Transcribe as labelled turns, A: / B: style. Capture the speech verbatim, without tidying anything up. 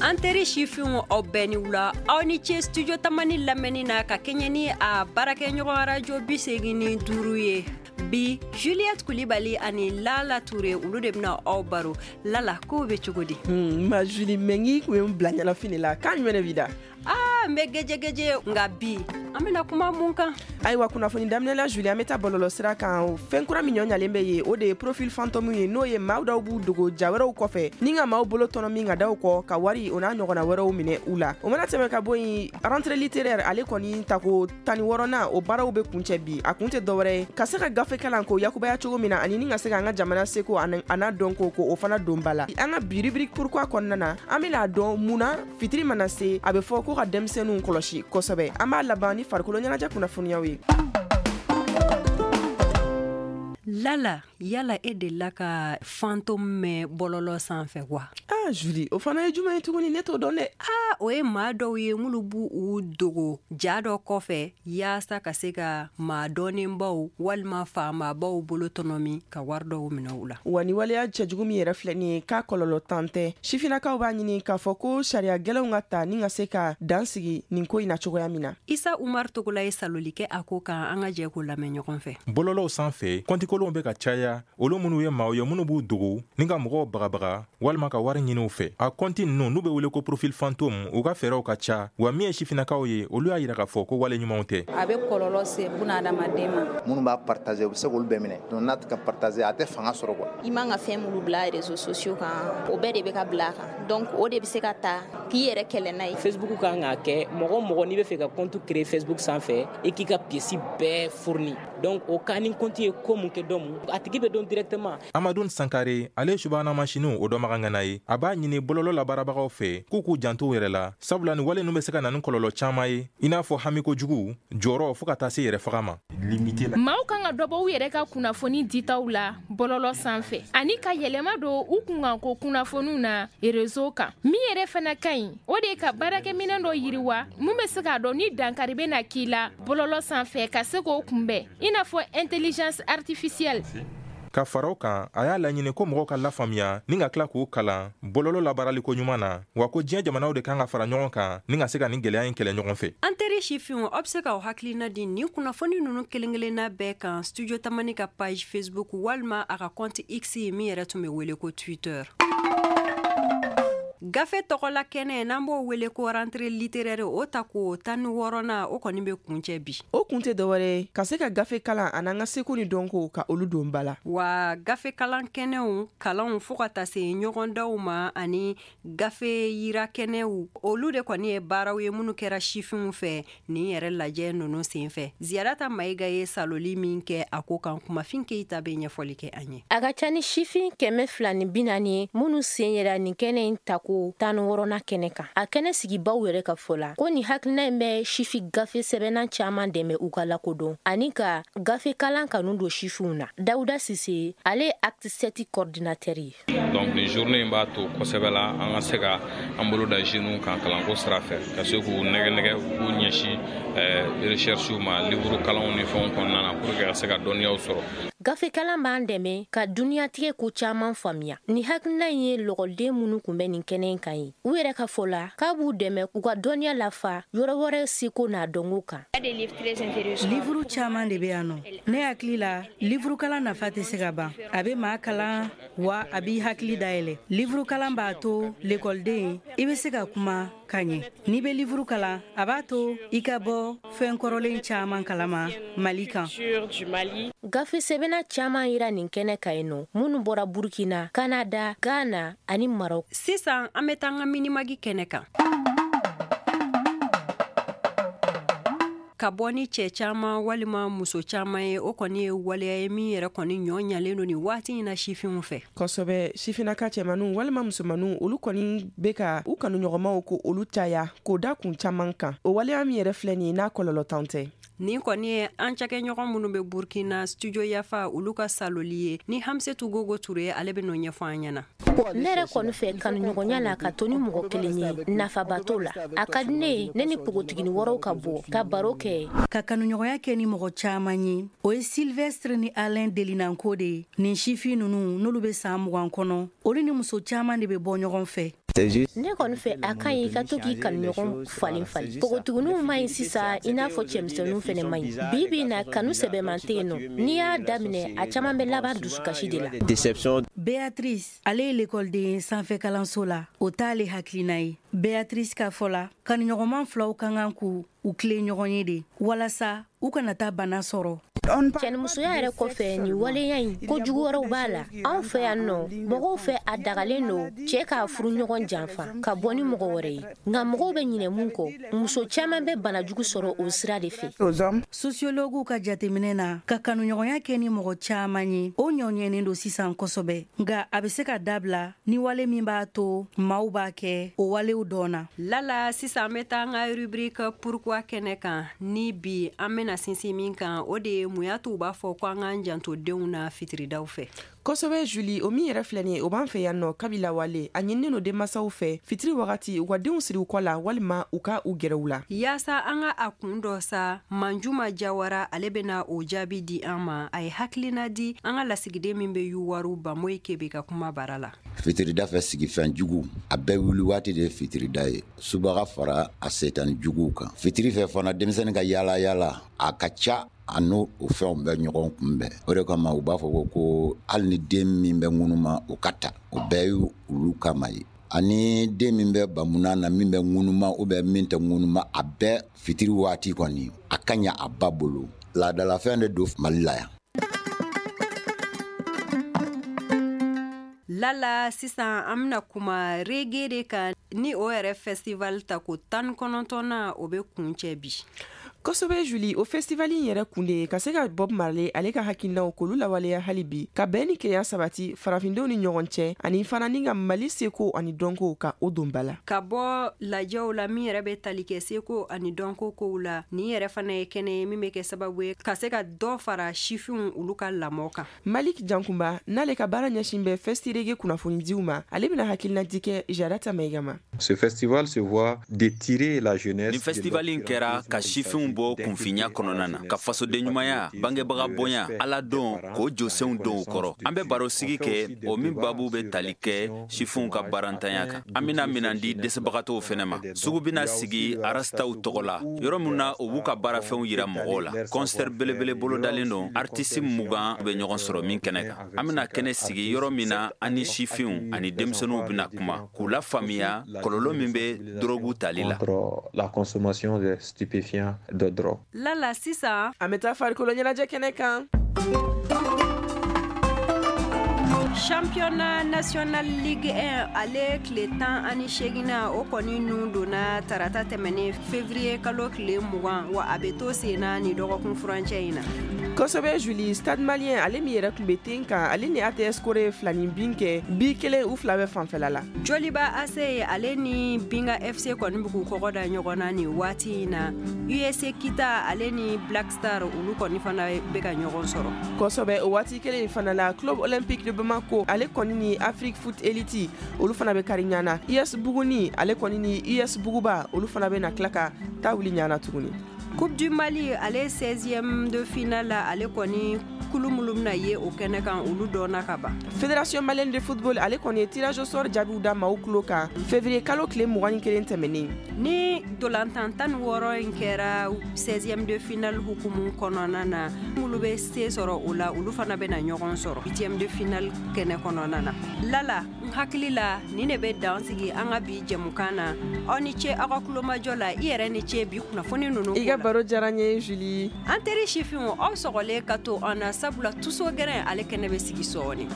A: An teri sifinw, aw bɛɛ ni wula, aw ni ce Studio Tamani lamɛnni na ka kɛɲɛ ni a baarakɛɲɔgɔn arajo bi segin ni duuru ye. Bi, Juliette Kulibali ani Lala Ture, olu de bɛna aw baro. Lala, kow bɛ cogo di?
B: Ma Julie, mɛ kun ye n bila ɲɛnafin de la. Kan jumɛn de b'i da?
A: Aa, n bɛ gɛjɛgɛjɛ, nka bi an bɛna kuma mun kan?
B: Ayiwa, kunnafoni daminɛ la, Julie, an bɛ taa bɔlɔlɔ sira kan. Fɛn kura min ɲɔ ɲalen bɛ yen, o de ye profil fantôme ye, n'o ye maa dɔw b'u dogo ja wɛrɛw kɔfɛ ni ka maaw bolo tɔnɔ min ka da u kɔ ka wari, o n'a ɲɔgɔnna wɛrɛw minɛ u la. O mana tɛmɛ ka bɔ yen, rentrée littéraire, ale kɔni tako tan ni wɔɔrɔnan, o baaraw bɛ kuncɛ bi. A kun tɛ dɔwɛrɛ ye ka se ka gafe kalan k'o yakubaya cogo min na, ani ni ka se ka an ka jamana seko a n'a dɔnko ko o fana don ba la. An ka bi rubrique pourquoi kɔnɔna na, an bɛna dɔn mun na fitiri mana se, a bɛ fɔ ko ka denmisɛnninw kɔlɔsi kosɛbɛ. An b'a laban ni farikolo ɲɛnajɛ kunnafoniyaw ye.
A: Lala, yala e delila ka fantôme mɛn bɔlɔlɔ sanfɛ wa?
B: Ah Julie, o fana ye jumɛn ye tuguni? Ne t'o dɔn dɛ.
A: Ah, o ye maa dɔw ye minnu b'u u dogo ja dɔ kɔfɛ yaasa ka se ka maa dɔnnenbaw walima faamabaw bolo tɔnɔmi ka wari dɔw minɛ u la.
B: Wa ni waleya cɛjugu min yɛrɛ filɛ nin ye, k'a kɔlɔlɔ tan tɛ. Sifinnakaw b'a ɲini k'a fɔ ko sariya gɛlɛnw ka ta ni ka se ka dan sigi nin ko in na cogoya min na.
A: Isa Umar Togola ye saloli kɛ a ko kan, an ka jɛ k'o lamɛn ɲɔgɔn fɛ.
C: Bɔlɔlɔw sanfɛ, kɔntikolonw bɛ ka caya, olu minnu ye maaw ye minnu b'u dogo ni ka mɔgɔw bagabaga walima ka wari ɲini u fɛ. A kɔnti ninnu, n'u bɛ wele ko profil fantôme, u ka fɛɛrɛw ka ca. Wa min ye sifinnakaw ye, olu y'a yira k'a fɔ ko wale ɲumanw tɛ.
D: A bɛ kɔlɔlɔ se bunadamaden ma.
E: Minnu b'a partager, u bɛ se k'olu bɛɛ minɛ. Donc n'a tɛ ka partager, a tɛ fanga sɔrɔ quoi.
F: I man ka fɛn minnu bila réseaux sociaux kan, o bɛɛ de bɛ ka bila a kan. Donc o de bɛ se ka ta k'i yɛrɛ kɛlɛ n'a ye.
G: Facebook kan k'a kɛ mɔgɔ mɔgɔ n'i bɛ fɛ ka compte créer Facebook sanfɛ, i k'i ka pièce bɛɛ fourni. Donc o ka ni compte ye ko mun kɛ dɔ mun, a tigi bɛ dɔn directement.
C: Amadou Sankare, ale ye subahana masiniw o dɔnbaga ŋana ye. A b'a ɲini bɔlɔlɔ labaarabagaw fɛ k'u k'u janto u yɛrɛ la, sabula ni wale ninnu bɛ se ka na ni kɔlɔlɔ caman ye, i n'a fɔ hamiko jugu, jɔrɔ, fo ka taa se yɛrɛ faga ma.
H: Maaw kan ka dɔ bɔ u yɛrɛ ka kunnafoni ditaw la bɔlɔlɔ sanfɛ, ani ka yɛlɛma don u kunkanko kunnafoniw na réseau kan. Min yɛrɛ fana ka ɲi, o de ye ka baarakɛminɛn dɔ yiriwa mun bɛ se k'a dɔn ni dankari bɛ na k'i la bɔlɔlɔ sanfɛ, ka se k'o kunbɛn, i n'a fɔ intelligence artificielle.
C: Ka fara o kan, a y'a laɲini ko mɔgɔw ka lafaamuya ni ka tila k'u kalan bɔlɔlɔ labaaraliko ɲuman na, wa ko diɲɛ jamanaw de kan ka fara ɲɔgɔn kan ni ka se ka nin gɛlɛya in kɛlɛ ɲɔgɔn fɛ.
A: An teri sifinw, aw bɛ se k'aw hakilina di nin kunnafoni ninnu kelen-kelenna bɛɛ kan Studio Tamani ka page Facebook walima a ka compte X min yɛrɛ tun bɛ wele ko Twitter. Gafe tɔgɔla kɛnɛ, n'an b'o wele ko rentrée littéraire, o ta ko tan ni wɔɔrɔnan, o kɔni bɛ kuncɛ bi.
B: O kun tɛ dɔwɛrɛ ye ka se ka gafe kalan ani an ka seko ni dɔnko ka olu don ba la.
A: Wa gafe kalan kɛnɛw, kalanw, fo ka taa se ɲɔgɔndaw ma, ani gafe yira kɛnɛw, olu de kɔni ye baaraw ye minnu kɛra sifinw fɛ nin yɛrɛ lajɛ ninnu senfɛ. Ziyarata Mayiga ye saloli min kɛ a ko kan, Kumafin Keyita bɛ ɲɛfɔli kɛ an ye.
I: A ka ca ni sifin kɛmɛ fila ni bi naani ye minnu sen yera nin kɛnɛ in tako tan ni wɔɔrɔnan kɛnɛ kan. A kɛnɛ sigibaw yɛrɛ ka fɔ la ko nin hakilina in bɛ sifi gafe sɛbɛnna caman dɛmɛ u ka lakodɔn ani ka gafe kalan kanu don sifinw na. Dawuda Sise, ale ye Acte sept coordinateur ye.
J: Donc nin journée in b'a to kosɛbɛ la an ka se ka an bolo da jeunes kan kalanko sira fɛ, ka se k'u nɛgɛ nɛgɛ u k'u ɲɛsin recherche ma, livre kalanw ni fɛnw kɔnɔna na, pour que ka se ka dɔnniyaw sɔrɔ.
I: Gafe kalan b'an dɛmɛ ka duniyatigɛ ko caman faamuya. Ni hakilina in ye lɔgɔliden minnu kun bɛ nin kɛnɛ in kan ye, u yɛrɛ ka fɔ la k'a b'u dɛmɛ k'u ka dɔnniya lafa yɔrɔ wɛrɛ seko n'a dɔnko kan.
K: Livuru caman de bɛ yan nɔ. Ne hakili la, livuru kalan nafa tɛ se ka ban. A bɛ maa kalan, wa a b'i hakili dayɛlɛ. Livuru kalan b'a to lekɔliden i bɛ se ka kuma ka ɲɛ. N'i bɛ livuru kalan, a b'a to i ka bɔ fɛn kɔrɔlen caman kalama Mali kan.
I: Gafe sɛbɛnna caman yira nin kɛnɛ kan yen nɔ, minnu bɔra Burkina, Canada, Ghana ani Maroc.
A: Sisan an bɛ taa an ka minimagi kɛnɛ kan. Ka bɔ ni cɛ caman walima muso caman ye, o kɔni ye waleya ye min yɛrɛ kɔni ɲɔ ɲalen don nin waati in na sifinw fɛ.
B: Kosɛbɛ, sifinnaka cɛmaninw walima musomaninw, olu kɔni bɛ ka u kanuɲɔgɔnmaw ko olu caya k'o da kun caman kan. O waleya min yɛrɛ filɛ nin ye, n'a kɔlɔlɔ tan tɛ.
A: Nin kɔni ye an cakɛɲɔgɔn minnu bɛ Burkina Studio Yafa, olu ka saloli ye ni Hamsetu Gogo Ture, ale bɛ n'o ɲɛfɔ an ɲɛna.
I: Ne yɛrɛ kɔni fɛ kanuɲɔgɔnya la ka to ni mɔgɔ kelen ye, nafaba t'o la. A ka di ne ye ne ni npogotiginin wɛrɛw ka bɔ ka baro kɛ.
K: Ka kanuɲɔgɔnya kɛ ni mɔgɔ caman ye, o ye Sylvestre ni Alain Delinanko de ye. Nin sifin ninnu, n'olu bɛ san mugan kɔnɔ, olu ni muso caman de bɛ bɔ ɲɔgɔn fɛ.
I: Ne kɔni fɛ a ka ɲi i ka to k'i kanuɲɔgɔn falen falen. Npogotigininw ma ɲi sisan i n'a fɔ cɛmisɛnninw fɛnɛ ma ɲi. Bi bi in na kanu sɛbɛman tɛ yen nɔ. N'i y'a daminɛ a caman bɛ laban dusukasi de la.
K: Béatrice ale ye lekɔliden sanfɛ kalanso la, o t'ale hakilina ye. Béatrice ka fɔ la, kanuɲɔgɔnman filaw ka kan k'u u tilen ɲɔgɔn ye de walasa u kana taa bana sɔrɔ.
I: Cɛnimusoya yɛrɛ kɔfɛ nin waleya in kojugu wɛrɛw b'a la. Anw fɛ yan nɔ, mɔgɔw fɛ a dagalen don cɛ k'a furu ɲɔgɔn janfa ka bɔ ni mɔgɔ wɛrɛ ye. Nka mɔgɔw bɛ ɲinɛ mun kɔ, muso caman bɛ banajugu sɔrɔ o sira de fɛ.
K: Sociologuw ka jateminɛ na, ka kanuɲɔgɔnya kɛ ni mɔgɔ caman ye, o ɲɔɲɛnen don sisan kosɛbɛ. Nka a bɛ se ka dabila ni wale min b'a to maaw b'a kɛ o walew dɔn na.
A: Lala, sisan an bɛ taa an ka rubrique pourquoi kɛnɛ kan. Ni bi an bɛna sinsin min kan, o de ye mun y'a to u b'a fɔ ko an k'an janto denw na fitiridaw fɛ.
B: Kosɛbɛ Julie, o min yɛrɛ filɛ nin ye, o b'an fɛ yan nɔ kabi lawale. A ɲininen don denmansaw fɛ fitiri wagati u ka denw siri u kɔ la walima u ka u gɛrɛ u la.
A: Yaasa an ka a kun dɔ sa, Manjuma Jawara ale bɛna o jaabi di an ma. A ye hakilina di an ka lasigiden min bɛ Yuwaru Bamoyi Kebe ka kuma bara la.
L: Fitirida fɛ sigifɛn jugu a bɛɛ wuli waati de ye fitirida ye. Subaga fara a setani juguw kan. Fitiri fɛ fana denmisɛnnin ka yaala yaala a ka ca, a n'o o fɛnw bɛ ɲɔgɔn kunbɛn. O de kama u b'a fɔ ko ko hali ni den min bɛ ŋunuma o ka ta, o bɛɛ ye olu kama ye. Ani den min bɛ bamuna na, min bɛ ŋunuma ou bien min tɛ ŋunuma, a bɛɛ fitiri waati kɔni a ka ɲa a ba bolo. Laadalafɛn de don Mali la yan.
A: Lala, sisan an bɛna kuma reggae de kan, ni o yɛrɛ festival ta ko tan kɔnɔntɔnna o bɛ kuncɛ bi.
B: Kosɛbɛ Julie, o festival in yɛrɛ kun de ye ka se ka Bob Marley ale ka hakilinaw k'olu lawaleya hali bi, ka bɛn ni kelenya sabati farafindenw ni ɲɔgɔn cɛ, ani fana ni ka Mali seko ani dɔnko ka o don ba la.
A: Ka bɔ lajɛw la min yɛrɛ bɛ tali kɛ seko ani dɔnko kow la, nin yɛrɛ fana ye kɛnɛ ye min bɛ kɛ sababu ye ka se ka dɔ fara sifinw olu ka lamɔ kan.
B: Malik Jankunba n'ale ka baara ɲɛsin bɛ Festi Reggae kunnafonidiw ma, ale bɛna hakilinadi kɛ Jarata Mayiga ma.
M: Ce festival se voit d'étirer la jeunesse.
N: Nin festival in kɛra ka sifinw bɔ kunfinya kɔnɔna na, ka fasoden ɲumanya, bangebaga bonya, ala dɔn k'o jɔsenw don u kɔrɔ. An bɛ barosigi kɛ o min babu bɛ tali kɛ sifinw ka baarantanya kan. An bɛna minan di dɛsɛbagatɔw fɛnɛ ma. Sugu bɛna sigi arastaw tɔgɔ la, yɔrɔ min na u b'u ka baarafɛnw yira mɔgɔw la. Concert belebele bolodalen don, artiste mugan bɛ ɲɔgɔn sɔrɔ min kɛnɛ kan. An bɛna kɛnɛ sigi yɔrɔ min na an ni sifinw ani denmisɛnninw bɛna kuma k'u lafaamuya kɔlɔlɔ min bɛ dɔrɔgu tali la.
M: La consommation de stupéfiants de drogue.
A: Lala, sisan
B: an bɛ taa farikolo ɲɛnajɛ kɛnɛ kan.
A: Championnat national Ligue un ale tile tan ani seginna o kɔni nun donna tarata tɛmɛnen février kalo tile mugan, wa a bɛ to sen na ni dɔgɔkun furancɛ in na.
B: Kosɛbɛ Julie, Stade Malien ale min yɛrɛ tun bɛ ten kan, ale ni A T S Kore filani bin kɛ bi kelen u fila bɛ fanfɛla la.
A: Joliba A C ale ni Binga F C kɔni bɛ k'u kɔgɔ da ɲɔgɔn na nin waati in na. U S Kita ale ni Black Star olu kɔni fana bɛ ka ɲɔgɔn sɔrɔ.
B: Kosɛbɛ, o waati kelen in fana la, Club Olympique de Bamako ale kɔni ni Afrique Foot Elite olu fana bɛ kari ɲana. U S Buguni ale kɔni ni U S Buguba olu fana bɛ na tila ka taa wuli ɲana tuguni.
A: Coupe du Mali ale seizième de finale la, ale kɔni kulu minnu bɛna ye o kɛnɛ kan olu dɔnna ka ban.
B: Fédération malienne de football ale kɔni ye tirage au sort jaabiw da maaw tulo kan février kalo tile mugan ni kelen tɛmɛnen.
A: Ni dolantan tan ni wɔɔrɔ in kɛra seizième de finale hukumu kɔnɔna na, minnu bɛ se sɔrɔ o la olu fana bɛna ɲɔgɔn sɔrɔ huitième de finale kɛnɛ kɔnɔna na. Lala, n hakili la nin de bɛ dan sigi an ka bi jɛmukan na. Aw ni ce aw ka kulomajɔ la, i yɛrɛ ni ce bi kunnafoni ninnu.
B: I ka baro diyara n ye Julie.
A: An teri sifinw, aw sɔgɔlen ka to an na, sabula tuso gɛrɛn ale kɛnɛ bɛ sigi sɔɔni.